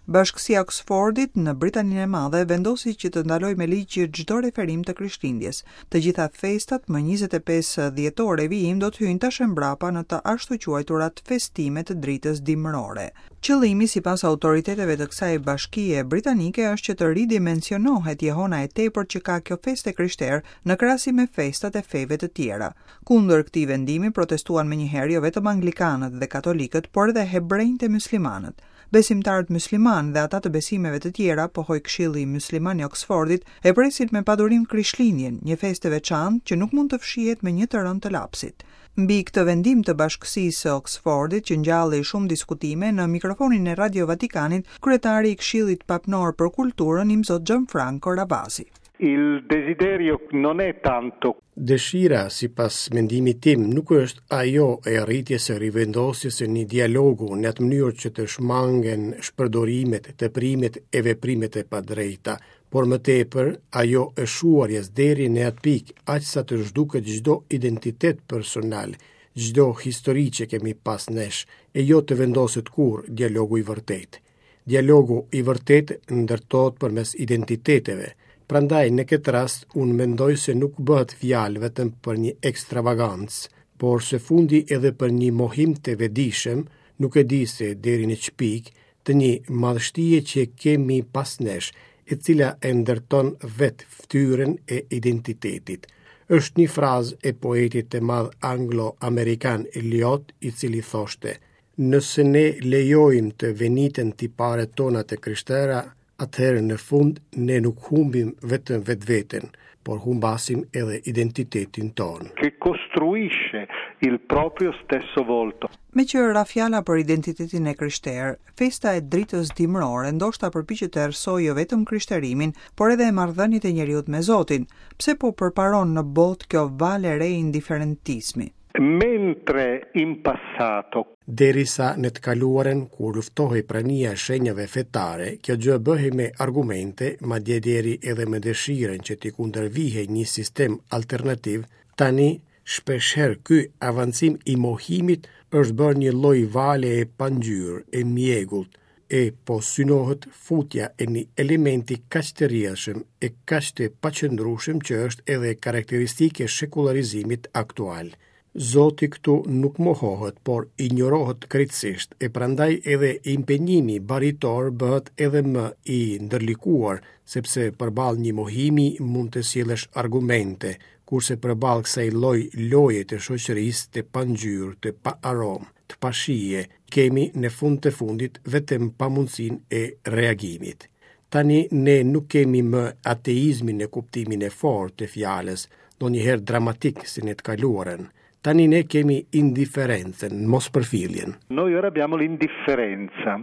Bashkësia e Oksfordit në Britaninë e Madhe vendosi që të ndalojë me ligj çdo referim të Krishtlindjes. Të gjitha festat më 25 dhjetor e vijim do të hyjnë tash e mbrapa në të ashtuquajturat festime të dritës dimërore. Qëllimi, sipas autoriteteve të kësaj bashkie britanike, është që të ridimensionohet jehona e tepërt që ka kjo festë e krishterë në krahasim me festat e feve të tjera. Kundër këtij vendimi protestuan menjëherë jo vetëm anglikanët dhe katolikët, por edhe hebrenjtë e myslimanët. Besimtarët myslimanë dhe ata të besimeve të tjera, pohoi Këshilli Mysliman i Oksfordit, e presin me padurim Krishtlindjen, një festë e veçantë që nuk mund të fshihet me një të rënë të lapsit. Mbi këtë vendim të Bashkësisë së Oksfordit që ngjalli shumë diskutime, në mikrofonin e Radio Vatikanit, kryetari i Këshillit Papnor për Kulturën, Imzot Gianfranco Ravasi. Il desiderio non è tanto. Dëshira, sipas mendimit tim, nuk është ajo e arritjes së rivendosjes së një dialogu në atë mënyrë që të shmangen shpërdorimet, teprimet e veprimet e padrejta, por më tepër ajo e shuarjes deri në atë pikë, aq sa të zhduket çdo identitet personal, çdo histori që kemi pas nesh, e jo të vendoset kurrë dialogu i vërtetë. Dialogu i vërtetë ndërtohet përmes identiteteve. Prandaj në këtë rast unë mendoj se nuk bëhet fjalë vetëm për një ekstravagancë, por së fundi edhe për një mohim të vetëdijshëm, nuk e di se deri në ç'pikë, të një madhështie që kemi pas nesh, e cila e ndërton vetë fytyrën e identitetit. Është një frazë e poetit të madh anglo-amerikan Eliot, i cili thoshte: Nëse ne lejojmë të veniten tiparet tona të krishtera, atëherë në fund ne nuk humbim vetëm vetveten, por humbasim edhe identitetin tonë. Che costruisce il proprio stesso volto. Meqë ra fjala për identitetin e krishterë, festa e dritës dimërore ndoshta përpiqet të errësojë jo vetëm krishterimin, por edhe marrëdhëniet e njeriut me Zotin. Pse po përparon në botë kjo valë e re indiferentizmi? Mentre in passato. Derisa në të kaluarën, kur luftohej prania e shenjave fetare, kjo gjë bëhej me argumente, madje deri edhe me dëshirën që t'i kundërvihej një sistem alternativ, tani, shpeshherë ky avancim i mohimit është bërë një lloj vale e pangjyrë, e mjegullt, e po synohet futja e një elementi kaq të rrjedhshëm e kaq të paqëndrueshëm që është edhe karakteristikë e shekullarizimit aktual. Zoti këtu nuk mohohet, por injorohet krejtësisht, e prandaj edhe impenjimi baritor bëhet edhe më i ndërlikuar, sepse përballë një mohimi mund të sjellësh argumente, kurse përballë kësaj lloj loje të shoqërisë të pangjyrë, të paaromë, të pashije, kemi në fund të fundit vetëm pamundësinë e reagimit. Tani ne nuk kemi më ateizmin në kuptimin e fortë të fjalës, ndonjëherë dramatik si në të kaluarën. Tani ne kemi indiferencën, mospërfilljen. Noi ora abbiamo l'indifferenza.